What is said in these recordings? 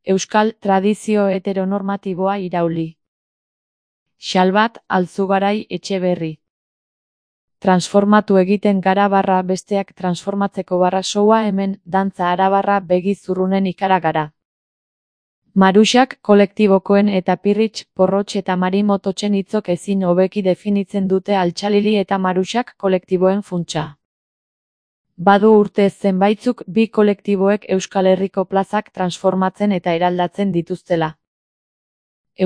Euskal tradizio heteronormatiboa irauli. Xalbat Alzugarai Etxeberri. Transformatu egiten gara barra besteak transformatzeko barra soua hemen dantza arabarra begi zurrunen ikara gara. Maruxak kolektibokoen eta Pirritx, Porrotx eta Marimototxen hitzok ezin hobeki definitzen dute Altxalili eta Maruxak kolektiboen funtsa. Badu urte zenbaitzuk bi kolektiboek Euskal Herriko plazak transformatzen eta eraldatzen dituztela.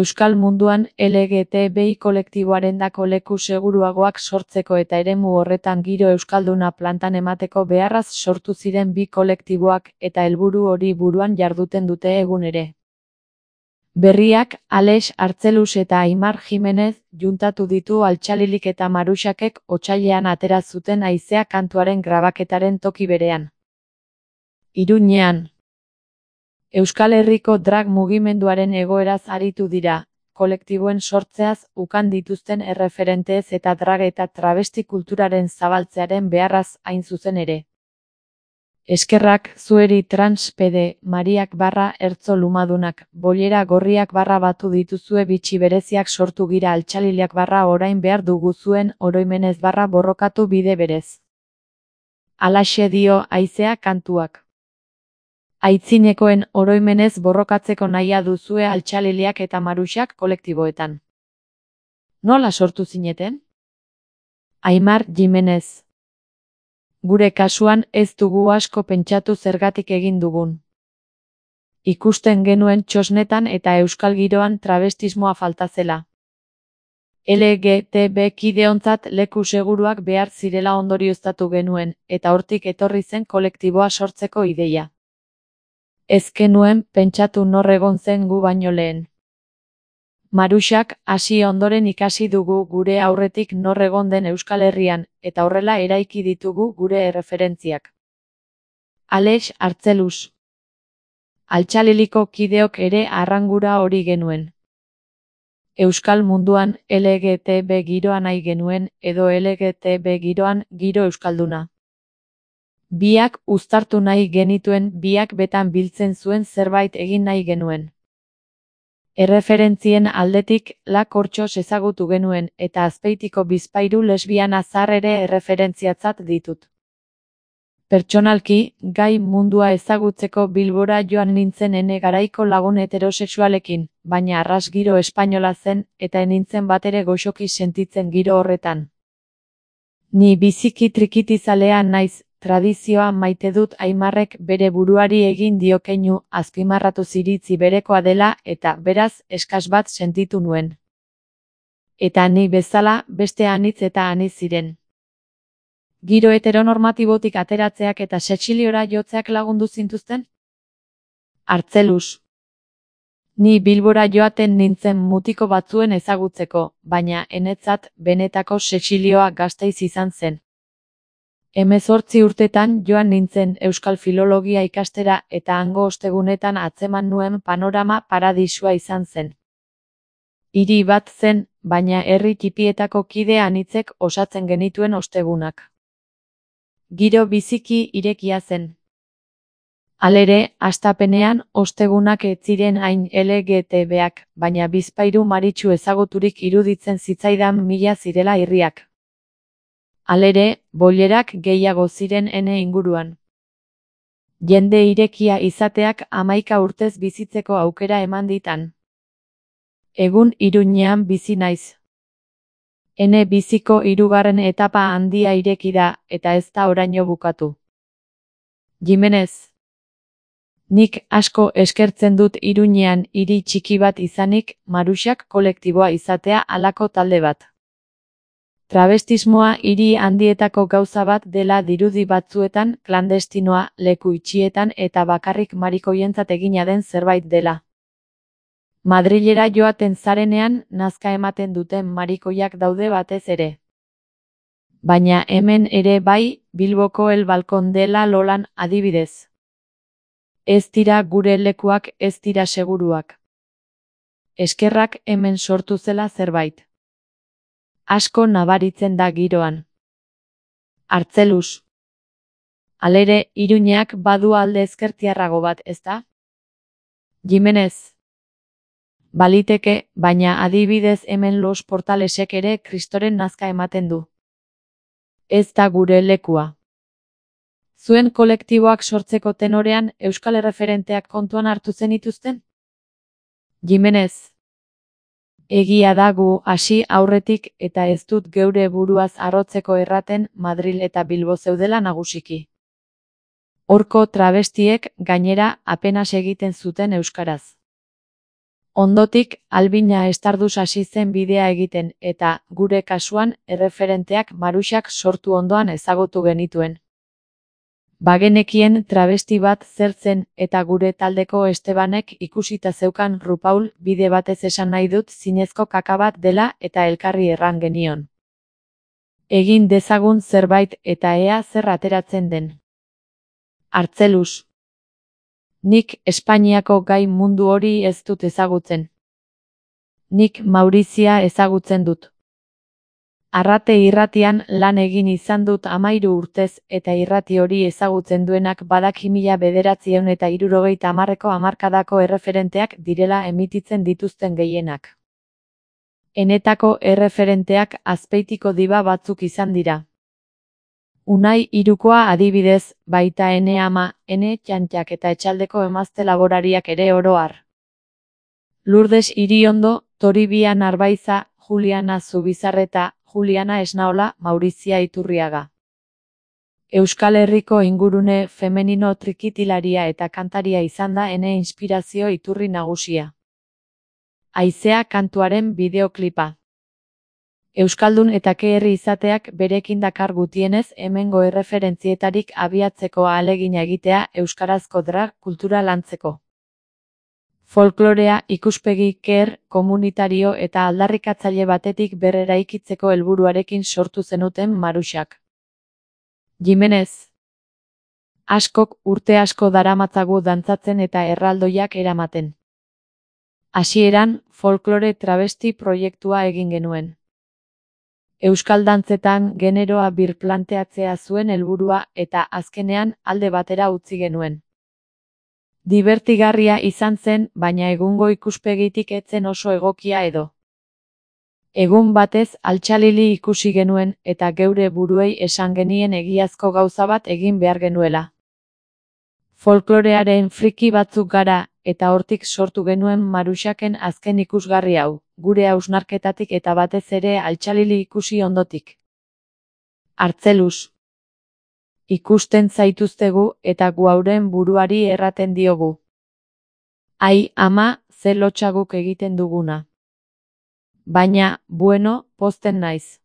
Euskal munduan LGTBI kolektiboarendako leku seguruagoak sortzeko eta eremu horretan giro euskalduna plantan emateko beharraz sortu ziren bi kolektiboak eta helburu hori buruan jarduten dute egun ere. Berriak, Alex Artzelus eta Aimar Jimenez juntatu ditu Altxalilik eta Maruxakek otsailean atera zuten Haizea kantuaren grabaketaren toki berean. Iruñean. Euskal Herriko drag mugimenduaren egoeraz aritu dira, kolektiboen sortzeaz ukan dituzten erreferenteez eta drag eta travesti kulturaren zabaltzearen beharraz hain zuzen ere. Eskerrak zueri transpede Mariak barra ertzo lumadunak, bollera gorriak barra batu dituzue bitxi bereziak sortu gira Altxaliliak barra orain behar dugu zuen oroimenez barra borrokatu bide berez. Alaxe dio Haizea kantuak. Aitzinekoen oroimenez borrokatzeko nahia duzue Altxaliliak eta Maruxak kolektiboetan. Nola sortu zineten? Aimar Jimenez. Gure kasuan ez dugu asko pentsatu zergatik egin dugun. Ikusten genuen txosnetan eta euskal giroan travestismoa falta zela. LGTB kideontzat leku seguruak behar zirela ondorioztatu genuen, eta hortik etorri zen kolektiboa sortzeko ideia. Ez genuen pentsatu nor egon zen gu baino lehen. Maruxak hasi ondoren ikasi dugu gure aurretik nor egon den Euskal Herrian, eta horrela eraiki ditugu gure erreferentziak. Alex Artzelus. Altxaliliko kideok ere arrangura hori genuen. Euskal munduan LGTB giroa nahi genuen, edo LGTB giroan giro euskalduna. Biak uztartu nahi genituen, biak betan biltzen zuen zerbait egin nahi genuen. Erreferentzien aldetik La Kortxos ezagutu genuen eta Azpeitiko bizpahiru lesbiana zahar ere erreferentziatzat ditut. Pertsonalki, gai mundua ezagutzeko Bilbora joan nintzen ene garaiko lagun heterosexualekin, baina arras giro espainola zen eta enintzen batere goxoki sentitzen giro horretan. Ni biziki trikitizalea naiz, tradizioa maite dut Aimarrek bere buruari egin dio keinu, azpimarratu ziritzi berekoa dela eta, beraz, eskas bat sentitu nuen. Eta ni bezala, beste anitz eta anitz ziren. Giro heteronormatibotik ateratzeak eta sexiliora jotzeak lagundu zintuzten? Artzelus. Ni Bilbora joaten nintzen mutiko batzuen ezagutzeko, baina enetzat benetako sexilioa Gasteiz izan zen. 18 urtetan joan nintzen Euskal Filologia ikastera eta hango ostegunetan atzeman nuen panorama paradisua izan zen. Hiri bat zen, baina herri txipietako kide anitzek osatzen genituen ostegunak. Giro biziki irekia zen. Halere, hastapenean ostegunak ez ziren hain LGTBak, baina bizpahiru maritxu ezaguturik iruditzen zitzaidan mila zirela irriak. Halere, bollerak gehiago ziren ene inguruan. Jende irekia izateak 11 urtez bizitzeko aukera eman ditan. Egun Iruñean bizi naiz. Ene biziko 3. etapa handia ireki da, eta ez da oraino bukatu. Jimenez. Nik asko eskertzen dut Iruñean hiri txiki bat izanik, Maruxak kolektiboa izatea halako talde bat. Travestismoa hiri handietako gauza bat dela dirudi batzuetan, klandestinoa, leku itxietan eta bakarrik marikoientzat egina den zerbait dela. Madrilera joaten zarenean, nazka ematen duten marikoiak daude batez ere. Baina hemen ere bai, Bilboko El Balkon dela Lolan adibidez. Ez dira gure lekuak, ez dira seguruak. Eskerrak hemen sortu zela zerbait. Asko nabaritzen da giroan. Artzelus. Halere, Iruñeak badu alde ezkertiarrago bat, ezta? Jimenez. Baliteke, baina adibidez hemen Los Portalesek ere Kristoren nazka ematen du. Ez da gure lekua. Zuen kolektiboak sortzeko tenorean euskal erreferenteak kontuan hartu zenituzten? Jimenez. Egia da gu hasi aurretik eta ez dut geure buruaz harrotzeko erraten Madril eta Bilbo zeudela nagusiki. Horko travestiek gainera apenas egiten zuten euskaraz. Ondotik, Albina Estarduz hasi zen bidea egiten eta, gure kasuan, erreferenteak Maruxak sortu ondoan ezagutu genituen. Bagenekien travesti bat zer zen eta gure taldeko Estebanek ikusita zeukan Rupaul bide batez esan nahi dut zinezko kaka bat dela eta elkarri erran genion. Egin dezagun zerbait eta ea zer ateratzen den. Artzelus. Nik Espainiako gai mundu hori ez dut ezagutzen. Nik Maurizia ezagutzen dut. Arrate irratian lan egin izan dut 13 urtez eta irrati hori ezagutzen duenak badaki 1970ko hamarkadako erreferenteak direla emititzen dituzten gehienak. Enetako erreferenteak Azpeitiko diba batzuk izan dira. Unai Irukoa adibidez, baita Ene Ama, Ene Txantxak eta Etxaldeko emazte laborariak ere oro har. Lourdes Iriondo, Toribia Narbaiza, Juliana Zubizarreta, Juliana Esnaola, Maurizia Iturriaga. Euskal Herriko ingurune femenino trikitilaria eta kantaria izan da ene inspirazio iturri nagusia. Haizea kantuaren bideoklipa. Euskaldun eta herri izateak berekin dakar gutienez hemengo erreferentzietarik abiatzeko ahalegina egitea euskarazko drag kultura lantzeko. Folklorea ikuspegi komunitario eta aldarrikatzaile batetik berreraikitzeko helburuarekin sortu zenuten Maruxak. Jimenez. Askok urte asko daramatzagu dantzatzen eta erraldoiak eramaten. Hasieran, folklore travesti proiektua egin genuen. Euskal dantzetan generoa birplanteatzea zuen helburua eta azkenean alde batera utzi genuen. Dibertigarria izan zen, baina egungo ikuspegitik ez zen oso egokia edo. Egun batez altxalili ikusi genuen eta geure buruei esan genien egiazko gauza bat egin behar genuela. Folklorearen friki batzuk gara eta hortik sortu genuen Maruxaken azken ikusgarri hau, gure hausnarketatik eta batez ere altxalili ikusi ondotik. Artzelus. Ikusten zaituztegu eta gu hauren buruari erraten diogu. Ai, ama, ze lotxaguk egiten duguna. Baina, bueno, pozten naiz.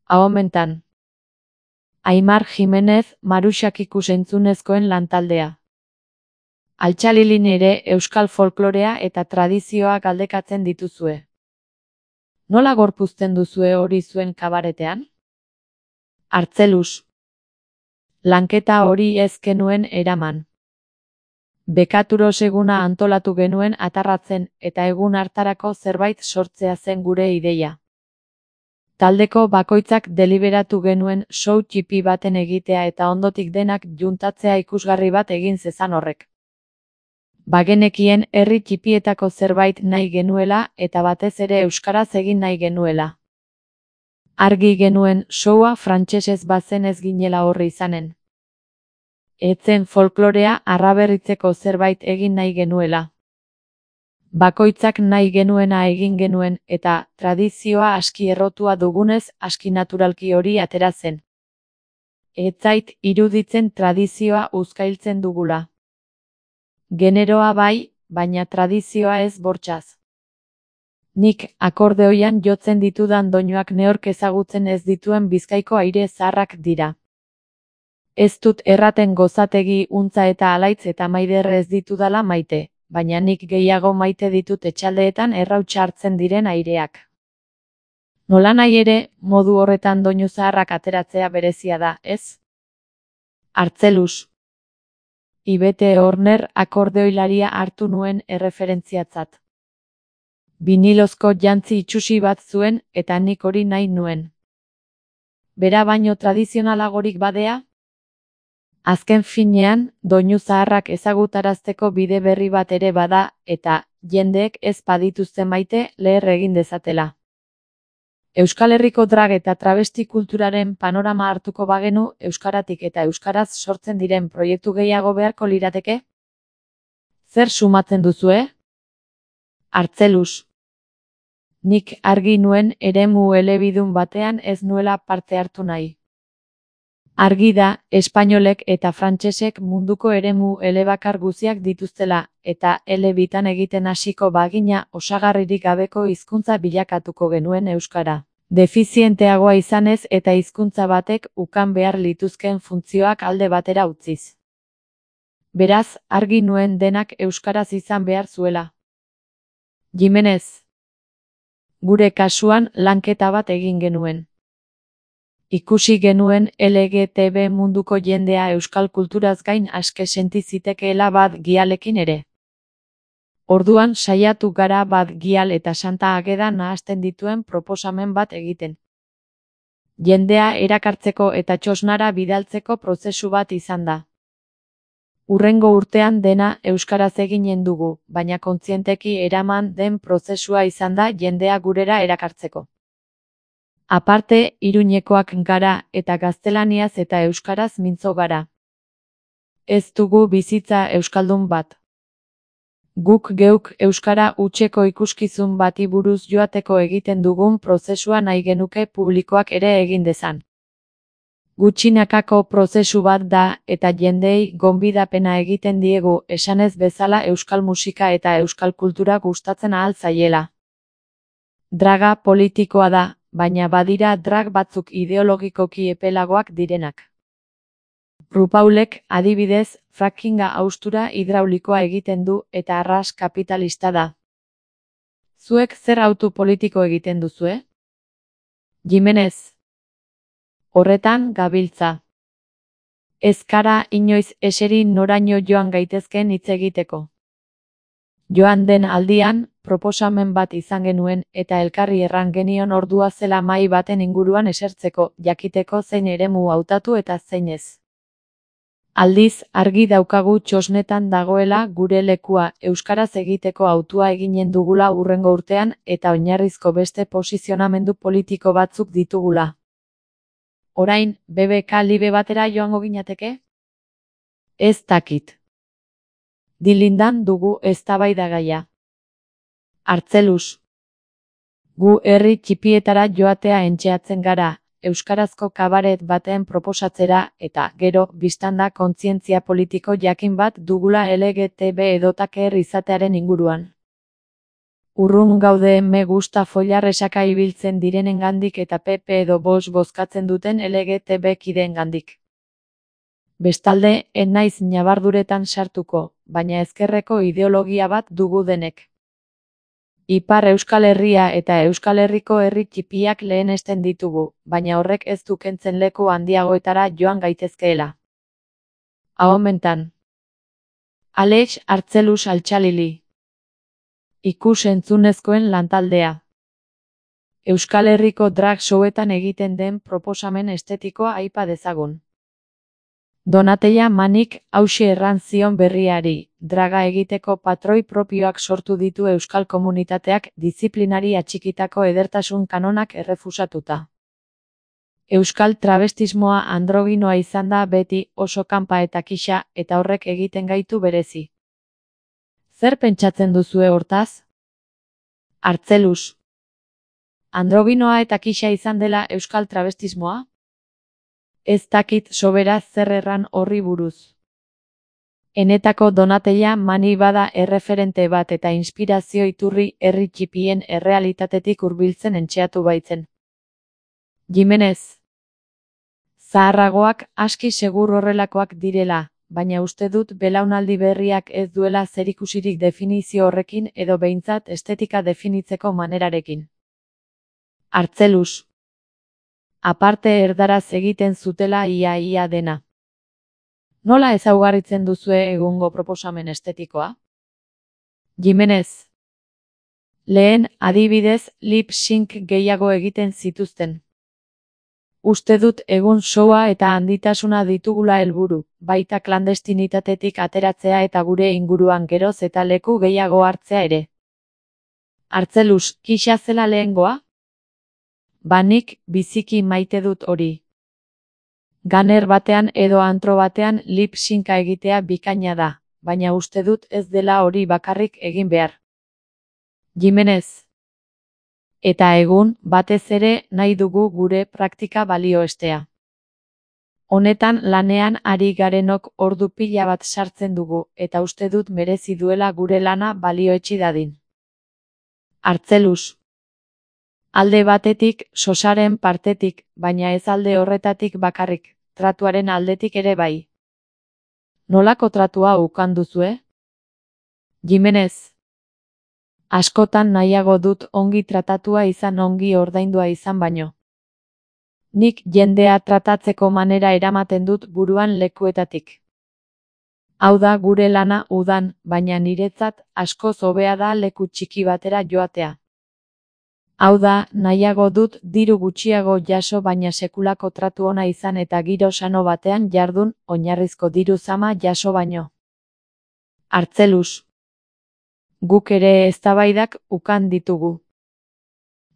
Ahomentan. Aimar Jimenez, Maruxak ikusentzunezkoen lantaldea. Altxalilin ere euskal folklorea eta tradizioa galdekatzen dituzue. Nola gorpuzten duzue hori zuen kabaretean? Artzelus. Lanketa hori ez genuen eraman. Bekaturos eguna antolatu genuen atarratzen eta egun hartarako zerbait sortzea zen gure ideia. Taldeko bakoitzak deliberatu genuen show txipi baten egitea eta ondotik denak juntatzea ikusgarri bat egin zezan horrek. Bagenekien herri txipietako zerbait nahi genuela eta batez ere euskaraz egin nahi genuela. Argi genuen showa frantsesez bazen ez ginela horri izanen. Etzen folklorea arraberritzeko zerbait egin nahi genuela. Bakoitzak nahi genuena egin genuen eta tradizioa aski errotua dugunez aski naturalki hori atera zen. Ez zait iruditzen tradizioa uzkailtzen dugula. Generoa bai, baina tradizioa ez bortxaz. Nik akordeoian jotzen ditudan doinuak neork ezagutzen ez dituen Bizkaiko aire zaharrak dira. Ez dut erraten gozategi untza eta alaitz eta maider ez ditudala maite, baina nik gehiago maite ditut etxaldeetan errautsa hartzen diren aireak. Nolanahi ere, modu horretan doinu zaharrak ateratzea berezia da, ez? Artzelus. Ibete Horner akordeoilaria hartu nuen erreferentziatzat. Binilozko jantzi itsusi bat zuen eta nik hori nahi nuen. Bera baino tradizionalagorik badea? Azken finean, doinu zaharrak ezagutarazteko bide berri bat ere bada, eta jendeek ez badituzte maite leher egin dezatela. Euskal Herriko drag eta travesti kulturaren panorama hartuko bagenu, euskaratik eta euskaraz sortzen diren proiektu gehiago beharko lirateke? Zer sumatzen duzue? Artzelus. Nik argi nuen eremu elebidun batean ez nuela parte hartu nahi. Argi da, espainolek eta frantsesek munduko eremu elebakar guziak dituztela, eta elebitan egiten hasiko bagina osagarririk gabeko hizkuntza bilakatuko genuen euskara. Defizienteagoa izanez eta hizkuntza batek ukan behar lituzkeen funtzioak alde batera utziz. Beraz, argi nuen denak euskaraz izan behar zuela. Jimenez. Gure kasuan lanketa bat egin genuen. Ikusi genuen LGTB munduko jendea euskal kulturaz gain aske senti zitekeela bat gialekin ere. Orduan saiatu gara bat gial eta Santa Ageda nahasten dituen proposamen bat egiten. Jendea erakartzeko eta txosnara bidaltzeko prozesu bat izan da. Hurrengo urtean dena euskaraz eginen dugu, baina kontzienteki eraman den prozesua izan da jendea gurera erakartzeko. Aparte, Iruñekoak gara eta gaztelaniaz eta euskaraz mintzo gara. Ez dugu bizitza euskaldun bat. Guk geuk euskara hutseko ikuskizun bati buruz joateko egiten dugun prozesua nahi genuke publikoak ere egin dezan. Gutxinakako prozesu bat da eta jendeei gonbidapena egiten diegu esanez bezala euskal musika eta euskal kultura gustatzen ahal zaiela. Draga politikoa da, baina badira drag batzuk ideologikoki epelagoak direnak. RuPaulek, adibidez, frackinga haustura hidraulikoa egiten du eta arras kapitalista da. Zuek zer autu politiko egiten duzue? Jimenez. Horretan gabiltza. Ez gara inoiz eseri noraino joan gaitezkeen hitz egiteko. Joan den aldian, proposamen bat izan genuen eta elkarri erran genion ordua zela mahai baten inguruan esertzeko, jakiteko zein eremu hautatu eta zein ez. Aldiz, argi daukagu txosnetan dagoela gure lekua euskaraz egiteko hautua eginen dugula hurrengo urtean eta oinarrizko beste posizionamendu politiko batzuk ditugula. Orain, BBK libe batera joango ginateke? Ez dakit. Dilindan dugu eztabaidagaia. Artzelus. Gu herri txipietara joatea entxeatzen gara, euskarazko kabaret baten proposatzera eta gero biztanda kontzientzia politiko jakin bat dugula LGTB edotaker izatearen inguruan. Urrun gaude me gusta follar esaka ibiltzen direnengandik eta PP edo Vox bozkatzen duten LGTB kideengandik. Bestalde, ez naiz ñabarduretan sartuko, baina ezkerreko ideologia bat dugu denek. Ipar Euskal Herria eta Euskal Herriko herri txipiak lehenesten ditugu, baina horrek ez du kentzen leku handiagoetara joan gaitezkeela. Ahomentan. Alex Artzelus Altxalili. Ikus-entzunezkoen lantaldea. Euskal Herriko drag showetan egiten den proposamen estetikoa aipa dezagun. Donateia Manik hauxe erran zion berriari, draga egiteko patroi propioak sortu ditu euskal komunitateak diziplinari atxikitako edertasun kanonak errefusatuta. Euskal travestismoa androginoa izan da beti oso kanpa eta kixa eta horrek egiten gaitu berezi. Zer pentsatzen duzue hortaz? Artzelus. Androginoa eta kixa izan dela euskal travestismoa? Ez dakit sobera zer erran horri buruz. Enetako Donateia Mani bada erreferente bat eta inspirazio iturri herri txipien errealitatetik hurbiltzen entxeatu baitzen. Jimenez. Zaharragoak aski segur horrelakoak direla, baina uste dut belaunaldi berriak ez duela zerikusirik definizio horrekin edo behintzat estetika definitzeko manerarekin. Artzelus. Aparte erdaraz egiten zutela ia dena. Nola ezaugarritzen duzue egungo proposamen estetikoa? Jimenez. Lehen, adibidez, lip sync gehiago egiten zituzten. Uste dut egun showa eta handitasuna ditugula helburu, baita klandestinitatetik ateratzea eta gure inguruan geroz eta leku gehiago hartzea ere. Artzelus, kisa zela lehengoa? Nik biziki maite dut hori. Ganer batean edo antro batean lip-synca egitea bikaina da, baina uste dut ez dela hori bakarrik egin behar. Jimenez. Eta egun, batez ere nahi dugu gure praktika balioestea. Honetan lanean ari garenok ordu pila bat sartzen dugu, eta uste dut merezi duela gure lana balioetsi dadin. Artzelus. Alde batetik, sosaren partetik, baina ez alde horretatik bakarrik, tratuaren aldetik ere bai. Nolako tratua ukanduzue? Jimenez. Askotan nahiago dut ongi tratatua izan ongi ordaindua izan baino. Nik jendea tratatzeko manera eramaten dut buruan lekuetatik. Hau da gure lana udan, baina niretzat askoz hobea da leku txiki batera joatea. Hau da, nahiago dut diru gutxiago jaso baina sekulako tratu ona izan eta giro sano batean jardun, oinarrizko diru zama jaso baino. Artzelus. Guk ere eztabaidak ukan ditugu.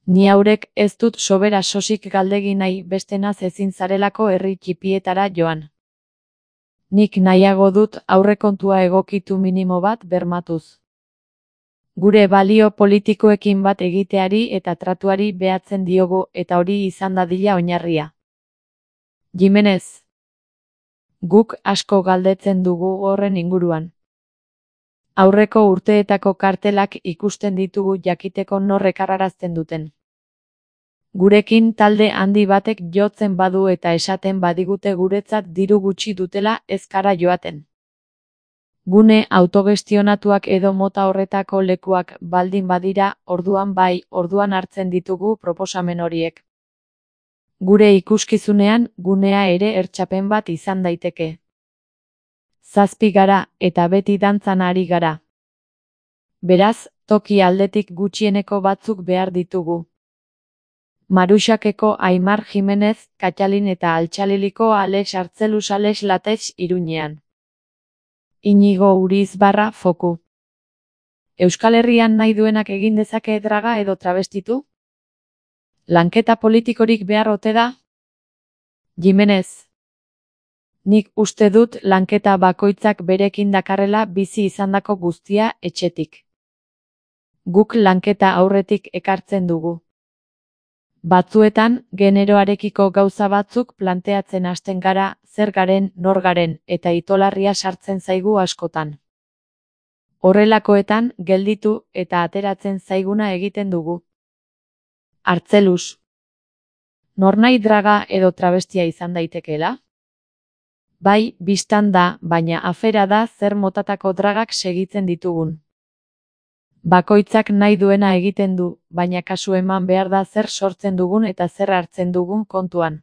Ni haurek ez dut sobera sosik galdegi nahi bestenaz ezin zarelako herri txipietara joan. Nik nahiago dut aurrekontua egokitu minimo bat bermatuz. Gure balio politikoekin bat egiteari eta tratuari behatzen diogu eta hori izan dadila oinarria. Jimenez. Guk asko galdetzen dugu horren inguruan. Aurreko urteetako kartelak ikusten ditugu jakiteko norrek arrarazten duten. Gurekin talde handi batek jotzen badu eta esaten badigute guretzat diru gutxi dutela ez gara joaten. Gune autogestionatuak edo mota horretako lekuak baldin badira, orduan bai, orduan hartzen ditugu proposamen horiek. Gure ikuskizunean, gunea ere ertsapen bat izan daiteke. 7 gara, eta beti dantzan ari gara. Beraz, toki aldetik gutxieneko batzuk behar ditugu. Maruxakeko Aimar Jimenez, Katxalin eta Altxaliliko Alex Artzelus Alex Lateix Iruñean. Inigo Urizbarra Foku. Euskal Herrian nahi duenak egin dezake draga edo travestitu? Lanketa politikorik behar ote da? Jimenez. Nik uste dut lanketa bakoitzak berekin dakarrela bizi izandako guztia etxetik. Guk lanketa aurretik ekartzen dugu. Batzuetan, generoarekiko gauza batzuk planteatzen hasten gara, zer garen, nor garen, eta itolarria sartzen zaigu askotan. Horrelakoetan, gelditu eta ateratzen zaiguna egiten dugu. Artzelus. Nornahi draga edo travestia izan daitekeela? Bai, bistan da, baina afera da zer motatako dragak segitzen ditugun. Bakoitzak nahi duena egiten du, baina kasu eman behar da zer sortzen dugun eta zer hartzen dugun kontuan.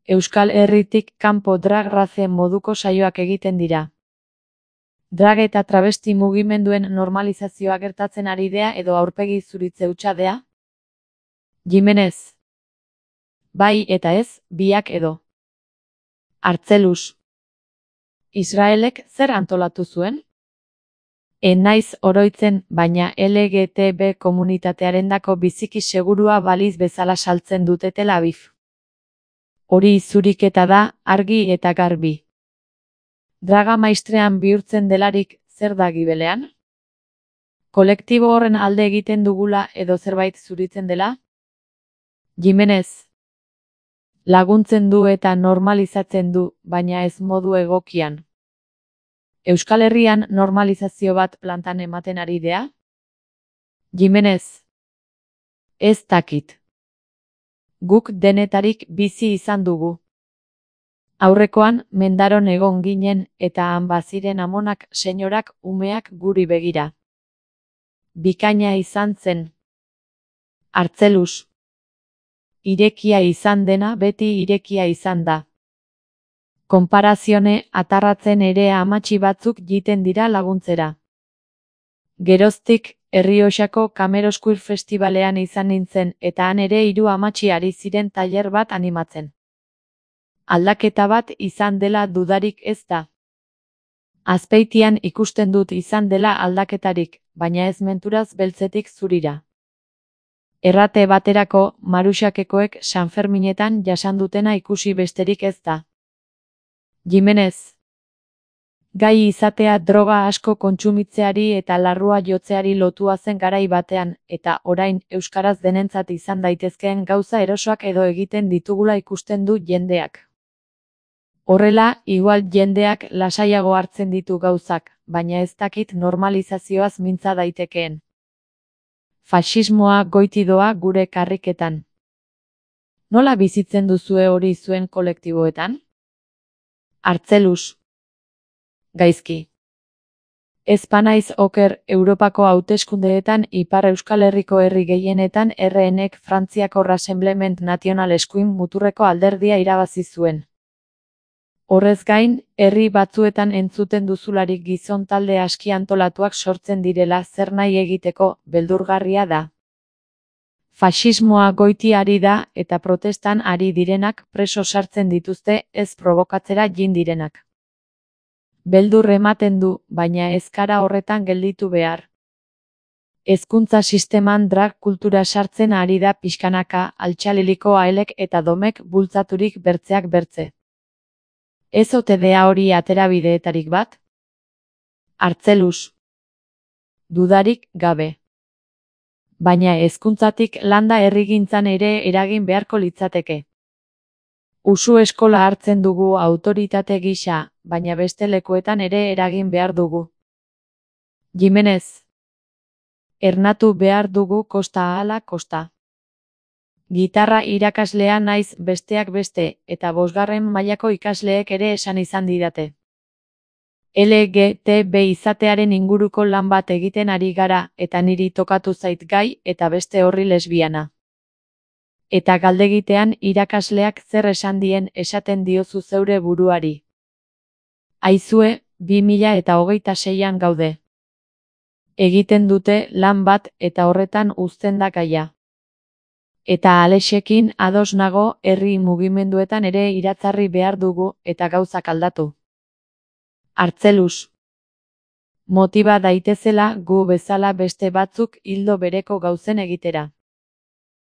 Euskal Herritik kanpo drag race moduko saioak egiten dira. Drag eta travesti mugimenduen normalizazioa gertatzen ari dea edo aurpegi zuritze hutsadea? Jimenez. Bai eta ez, biak edo. Artzelus. Israelek zer antolatu zuen? Naiz oroitzen, baina LGTB komunitatearendako biziki segurua baliz bezala saltzen dute Tel Aviv. Hori zuriketa da, argi eta garbi. Draga maistrean bihurtzen delarik, zer da gibelean? Kolektibo horren alde egiten dugula edo zerbait zuritzen dela? Jimenez. Laguntzen du eta normalizatzen du, baina ez modu egokian. Euskal Herrian normalizazio bat plantan ematen ari dea? Jimenez. Ez dakit. Guk denetarik bizi izan dugu. Aurrekoan, mendaron egon ginen eta han baziren amonak, senyorak, umeak guri begira. Bikaina izan zen. Artzelus. Irekia izan dena beti irekia izan da. Konparazione atarratzen ere amatxi batzuk jiten dira laguntzera. Geroztik, Errioxako Kamerosquare Festivalean izan nintzen eta han ere 3 amatxi ari ziren tailer bat animatzen. Aldaketa bat izan dela dudarik ez da. Azpeitian ikusten dut izan dela aldaketarik, baina ez menturaz beltzetik zurira. Errate baterako, Maruxakekoek Sanferminetan jasan dutena ikusi besterik ez da. Jimenez. Gai izatea droga asko kontsumitzeari eta larrua jotzeari lotua zen garai batean, eta orain euskaraz denentzat izan daitezkeen gauza erosoak edo egiten ditugula ikusten du jendeak. Horrela, igual jendeak lasaiago hartzen ditu gauzak, baina ez dakit normalizazioaz mintza daitekeen. Faxismoa goiti doa gure karriketan. Nola bizitzen duzue hori zuen kolektiboetan? Artzelus. Gaizki. Ez banaiz oker, Europako hauteskundeetan Ipar Euskal Herriko herri gehienetan RNek Frantziako Rassemblement National eskuin muturreko alderdia irabazi zuen. Horrez gain, herri batzuetan entzuten duzularik gizon talde aski antolatuak sortzen direla zer nahi egiteko, beldurgarria da. Faxismoa goiti ari da eta protestan ari direnak preso sartzen dituzte ez probokatzera jin direnak. Beldur ematen du, baina ez gara horretan gelditu behar. Hezkuntza sisteman drag kultura sartzen ari da pixkanaka, Altxaliliko Aelek eta Domek bultzaturik bertzeak bertze. Ez ote dea hori aterabideetarik bat? Artzelus. Dudarik gabe. Baina hezkuntzatik landa herrigintzan ere eragin beharko litzateke. Usu eskola hartzen dugu autoritate gisa, baina beste lekuetan ere eragin behar dugu. Jimenez. Ernatu behar dugu kosta ahala kosta. Gitarra irakaslea naiz besteak beste, eta 5. mailako ikasleek ere esan izan didate. LGTB izatearen inguruko lan bat egiten ari gara, eta niri tokatu zait gai, eta beste horri lesbiana. Eta galdegitean irakasleak zer esan dien esaten diozu zeure buruari. Aizue, 2026an gaude. Egiten dute lan bat eta horretan uzten da gaia. Eta Alexekin ados nago herri mugimenduetan ere iratzarri behar dugu eta gauzak aldatu. Artzelus. Motiba daitezela gu bezala beste batzuk ildo bereko gauzen egitera.